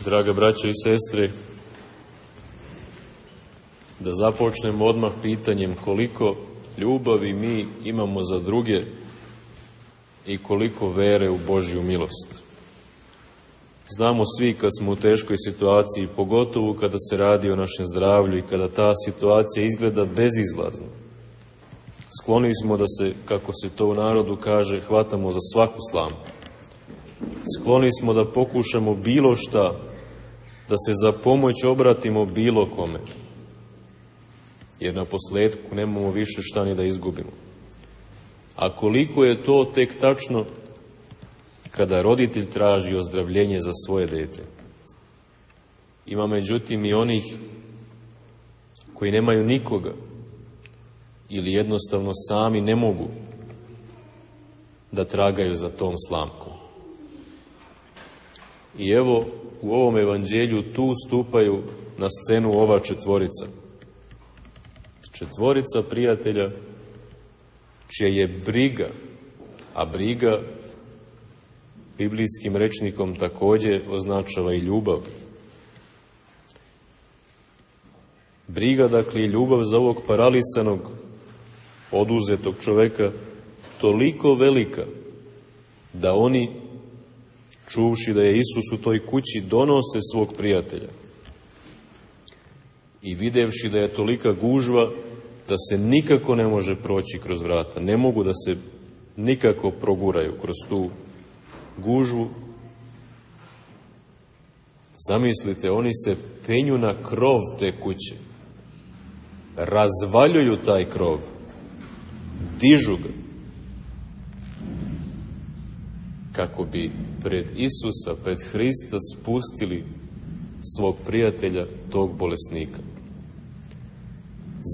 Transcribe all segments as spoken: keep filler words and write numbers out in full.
Draga braćo i sestre, da započnemo odmah pitanjem koliko ljubavi mi imamo za druge i koliko vere u Božju milost. Znamo svi kad smo u teškoj situaciji, pogotovo kada se radi o našem zdravlju i kada ta situacija izgleda bezizlazno. Skloni smo da se, kako se to u narodu kaže, hvatamo za svaku slamu. Skloni smo da pokušamo bilo šta, da se za pomoć obratimo bilo kome. Jer na posledku nemamo više šta ni da izgubimo. A koliko je to tek tačno kada roditelj traži ozdravljenje za svoje dete. Ima međutim i onih koji nemaju nikoga ili jednostavno sami ne mogu da tragaju za tom slamkom. I evo, u ovom evanđelju tu stupaju na scenu ova četvorica. Četvorica prijatelja čija je briga, a briga biblijskim rečnikom također označava i ljubav. Briga, dakle, i ljubav za ovog paralisanog, oduzetog čoveka, toliko velika da oni, čuvši da je Isus u toj kući, donose svog prijatelja. I videvši da je tolika gužva da se nikako ne može proći kroz vrata, ne mogu da se nikako proguraju kroz tu gužvu. Zamislite, oni se penju na krov te kuće, razvaljuju taj krov, dižu ga, kako bi pred Isusa, pred Hrista spustili svog prijatelja, tog bolesnika.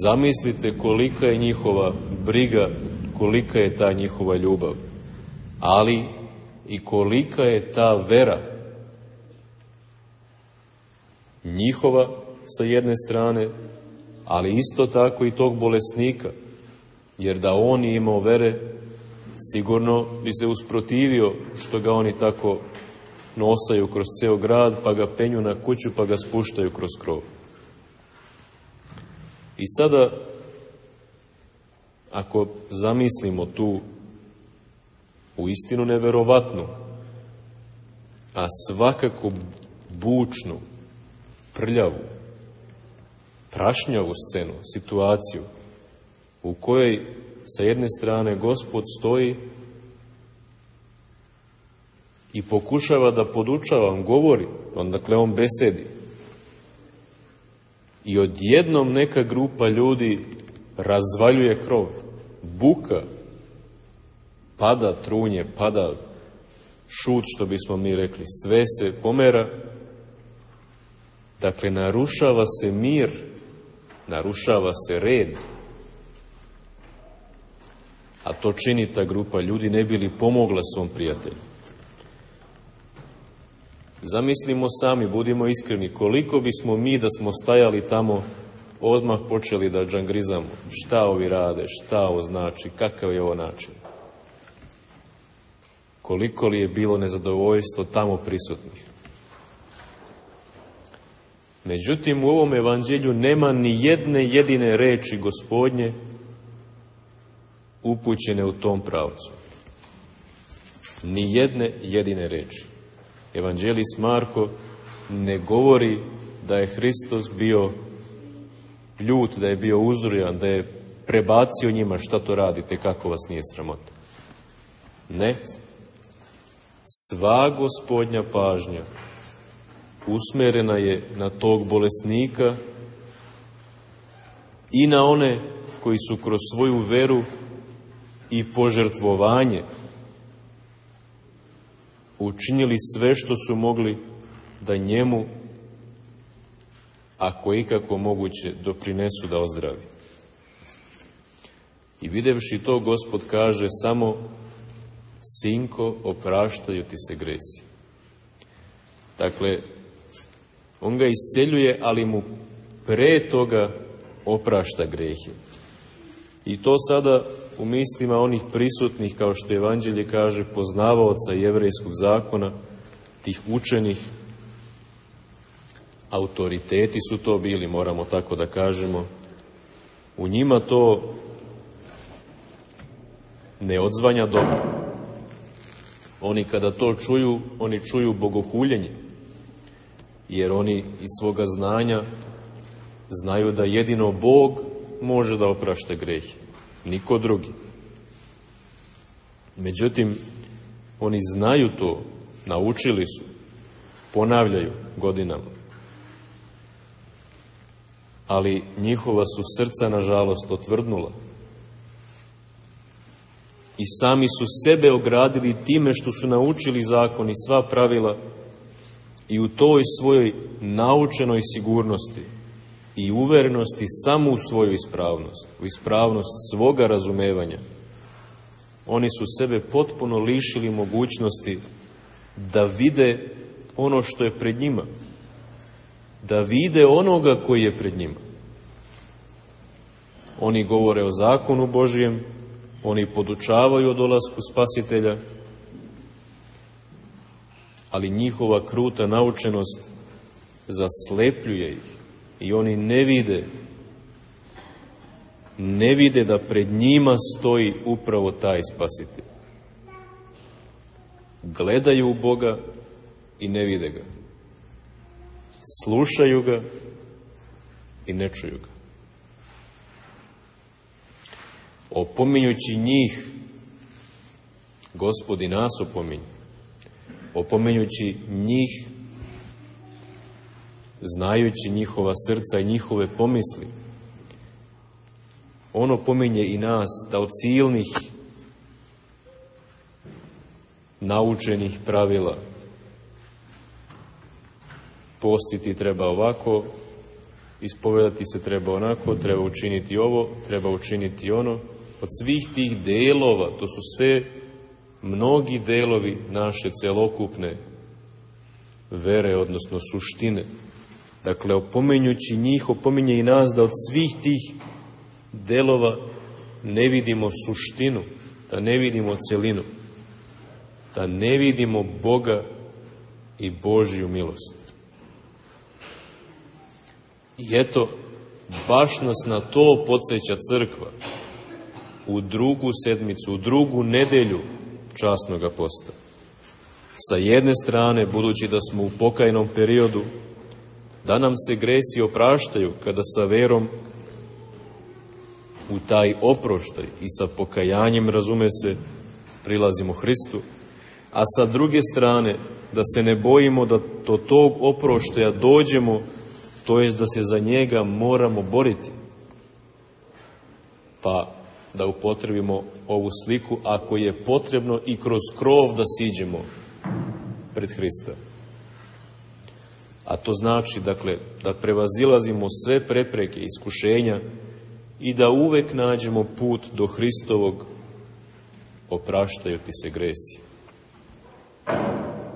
Zamislite kolika je njihova briga, kolika je ta njihova ljubav, ali i kolika je ta vera njihova sa jedne strane, ali isto tako i tog bolesnika, jer da on je imao vere, sigurno bi se usprotivio što ga oni tako nosaju kroz ceo grad, pa ga penju na kuću, pa ga spuštaju kroz krov. I sada, ako zamislimo tu uistinu neverovatnu, a svakako bučnu, prljavu, prašnjavu scenu, situaciju, u kojoj sa jedne strane Gospod stoji i pokušava da podučava, on govori, on dakle on besedi. I odjednom neka grupa ljudi razvaljuje krov, buka, pada trunje, pada šut, što bismo mi rekli, sve se pomera. Dakle, narušava se mir, narušava se red. A to čini ta grupa ljudi ne bi li pomogla svom prijatelju. Zamislimo sami, budimo iskreni, koliko bismo mi da smo stajali tamo odmah počeli da džangrizamo. Šta ovi rade, šta ovo znači, kakav je ovo način. Koliko li je bilo nezadovoljstvo tamo prisutnih. Međutim, u ovom evanđelju nema ni jedne jedine reči Gospodnje upućene u tom pravcu. Ni jedne jedine reči. Evanđelist Marko ne govori da je Hristos bio ljut, da je bio uzrujan, da je prebacio njima šta to radite, kako vas nije sramota. Ne. Sva Gospodnja pažnja usmerena je na tog bolesnika i na one koji su kroz svoju veru i požrtvovanje učinili sve što su mogli da njemu, ako je ikako moguće, doprinesu da ozdravi. I videvši to, Gospod kaže samo: sinko, opraštaju ti se gresi. Dakle, on ga isceljuje, ali mu pre toga oprašta grehe. I to sada u mislima onih prisutnih, kao što Evanđelje kaže, poznavaoca jevrejskog zakona, tih učenih, autoriteti su to bili, moramo tako da kažemo, u njima to ne odzvanja dobro. Oni kada to čuju, oni čuju bogohuljenje, jer oni iz svoga znanja znaju da jedino Bog može da oprašta grehe, niko drugi. Međutim, oni znaju to, naučili su, ponavljaju godinama, ali njihova su srca, nažalost, otvrdnula. I sami su sebe ogradili time što su naučili zakon i sva pravila i u toj svojoj naučenoj sigurnosti i uverenosti samo u svoju ispravnost, u ispravnost svoga razumevanja, oni su sebe potpuno lišili mogućnosti da vide ono što je pred njima, da vide onoga koji je pred njima. Oni govore o zakonu Božijem, oni podučavaju o dolasku Spasitelja, ali njihova kruta naučenost zaslepljuje ih i oni ne vide, ne vide da pred njima stoji upravo taj Spasitelj. Gledaju u Boga i ne vide ga. Slušaju ga i ne čuju ga. Opominjući njih, Gospod i nas opominje. Opominjući njih, znajući njihova srca i njihove pomisli, on opominje i nas da od silnih naučenih pravila postiti treba ovako, ispovedati se treba onako, treba učiniti ovo, treba učiniti ono. Od svih tih delova, to su sve mnogi delovi naše celokupne vere, odnosno suštine. Dakle, opominjući njih, opominje i nas da od svih tih delova ne vidimo suštinu, da ne vidimo celinu, da ne vidimo Boga i Božju milost. I eto, baš nas na to podsjeća crkva u drugu sedmicu, u drugu nedelju časnoga posta. Sa jedne strane, budući da smo u pokajnom periodu, da nam se gresi opraštaju kada sa verom u taj oproštaj i sa pokajanjem, razume se, prilazimo Hristu, a sa druge strane, da se ne bojimo da do tog oproštaja dođemo, to jest da se za njega moramo boriti. Pa da upotrebimo ovu sliku, ako je potrebno i kroz krov da siđemo pred Hrista. A to znači, dakle, da prevazilazimo sve prepreke, iskušenja i da uvek nađemo put do Hristovog opraštaju ti se gresi.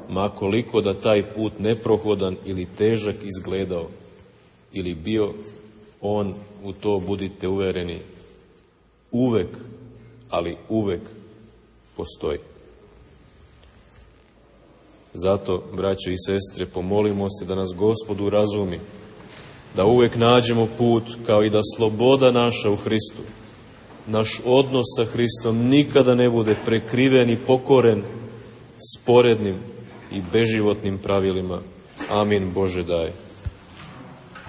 Ma koliko da taj put neprohodan ili težak izgledao ili bio, on, u to budite uvereni, uvek, ali uvek postoji. Zato, braćo i sestre, pomolimo se da nas Gospod urazumi, da uvek nađemo put, kao i da sloboda naša u Hristu, naš odnos sa Hristom nikada ne bude prekriven i pokoren sporednim i beživotnim pravilima. Amin, Bože daj.